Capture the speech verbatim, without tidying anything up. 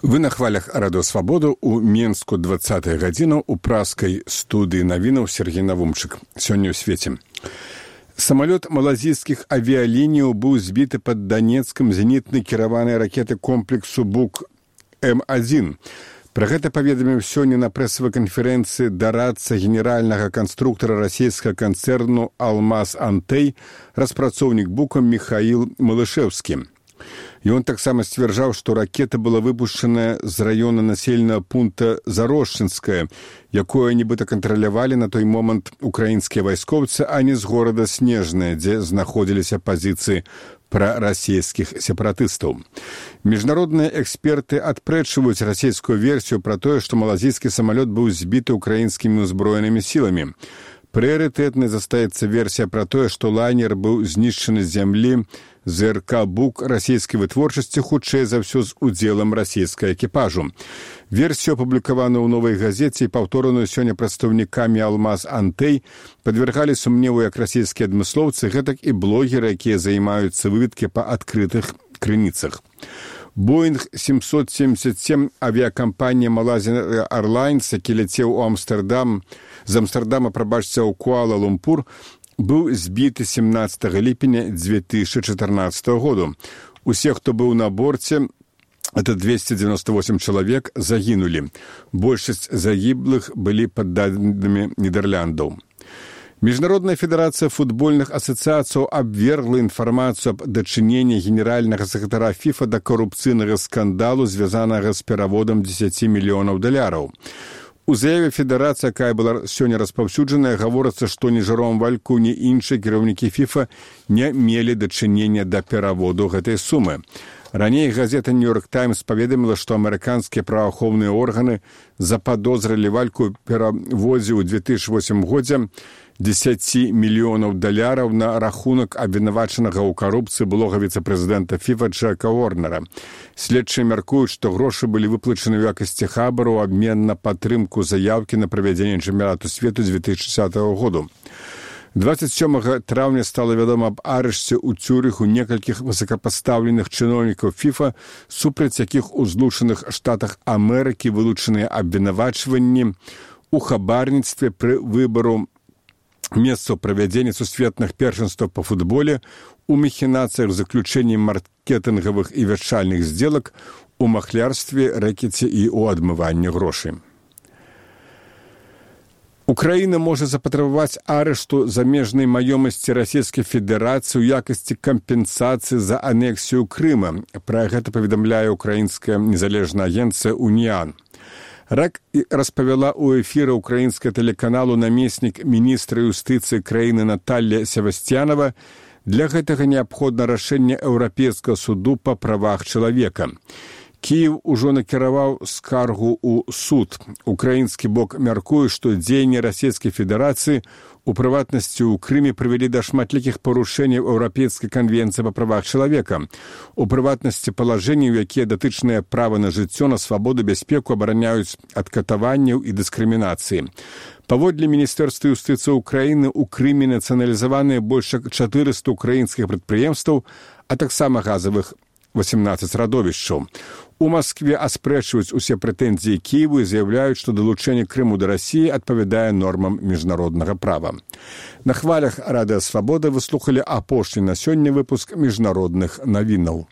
Вы на хвалях Радыё Свабода ў Менску двадцатая гадзіна ў праскай студыі навінаў Сергей Навумчык. Сёння ў свеце. Самалёт малазійскіх авіялініяў быў збіты пад Данецкам зенітнай кіраванай ракеты комплексу Бук Эм адзін. Пра гэта паведаміў сёння на прэсавай канферэнцыі дарадца генеральнага канструктара расійскага канцэрну «Алмаз Антей», распрацоўнік Бука Михаил Малышэўскі. Ён таксама сцвярджаў, што ракета была выпушчаная з раёна населенага пункта Зарошчынская, якое нібыта кантралявалі на той момант украінскія вайскоўцы, а не з горада Снежнае, дзе знаходзіліся пазіцыі прарасійскіх сепаратыстаў. Міжнародныя эксперты адпрэчваюць расійскую версію пра тое, што малазійскі самалёт быў збіты украінскімі ўзброенымі сіламі. Прыярытэтнай застаецца версія пра тое, што лайнер быў знішчаны з зямлі ЗРК «Бук» расійскай вытворчасці, хутчэй за ўсё з удзелам расійскага экіпажу. Версію, апублікаваную ў «Новай газеце» і паўтораную сёння прадстаўнікамі «Алмаз Антей», падвяргалі сумневу як расійскія адмыслоўцы, гэтак і блогеры, якія займаюцца выведкі па адкрытых крыніцах. Боинг семьсот семьдесят семь авиакомпания Malaysia Airlines, які ляцеў у Амстердам, з Амстердама, прабачце, ў Куала-Лумпур, быў збіты семнадцатага ліпеня дзве тысячы чатырнаццатага году. Усе, хто быў на борце, это двести девяносто восемь чалавек, загінулі. Большасць загіблых былі падданымі Нідэрляндаў. Міжнародная федэрацыя футбольных асацыяцыяў абвергла інфармацыю аб дачыненні генеральнага сакратара ФІФА да карупцыйнага скандалу, звязанага з пераводам дзесяці мільёнаў даляраў. У заяве федэрацыі, якая была сёння распаўсюджаная, гаворыцца, што ні Жером Вальку, ні іншыя кіраўнікі ФІФА не мелі дачынення да пераводу гэтай сумы. Раней газета «Нью-Йорк Таймс» паведаміла, што амерыканскія праваахоўныя органы западозрылі Вальку ў пераводзе ў две тысячы восьмым годзе дзесяці мільёнаў даляраў на рахунак абвінавачанага ў карупцыі былога віцэ-прэзідэнта ФІФА Джека Уорнера. Следчыя мяркуюць, што грошы былі выплачаны ў якасці хабару ў абмен на падтрымку заяўкі на правядзенне чэмпіянату свету две тысячи десятого году. двадцать сёмага траўня стала вядома аб арышце ў Цюрыху некалькіх высокапастаўленых чыноўнікаў ФІФА, супраць якіх у Злучаных Штатах Амерыкі вылучаныя абвінавачванні у хабарніцтве пры выбару месцаў правядзення сусветных першынстваў па футболе, у махінацыях з заключэннем маркетынгавых і вярчальных здзелак, у махлярстве, рэкеце і ў адмыванні грошай. Украіна можа запатрабаваць арышту замежнай маёмасці Расійскай Федэрацыі ў якасці кампенсацыі за анексію Крыма. Пра гэта паведамляе украінская незалежная агенцыя «Уніан». Рак распавяла ў эфіры украінскага тэлеканалу намеснік міністра юстыцыі краіны Наталля Севастьянова. Для гэтага неабходна рашэнне Еўрапейскага суду па правах чалавека. Кіеў ужо накіраваў скаргу ў суд. Украінскі бок мяркуе, што дзеянні Расійскай Федэрацыі, у прыватнасці ў Крыме, прывялі да шматлікіх парушэнняў Еўрапейскай канвенцыі па правах чалавека. У прыватнасці палажэнняў, якія датычныя права на жыццё, на свабоду, бяспеку, абараняюць ад катаванняў і дыскрымінацыі. Паводле Міністэрства юстыцыі ўкраіны, у Крыме нацыяналізаваныя больш як чатырыста украінскіх прадпрыемстваў, а таксама газавых восемнадцаць радовішчаў. У Маскве аспрэчваюць усе прэтэнзіі Кіеву і заяўляюць, што далучэнне Крыму да Расіі адпавядае нормам міжнароднага права. На хвалях Радыё Свабода вы слухалі апошні на сёння выпуск міжнародных навінаў.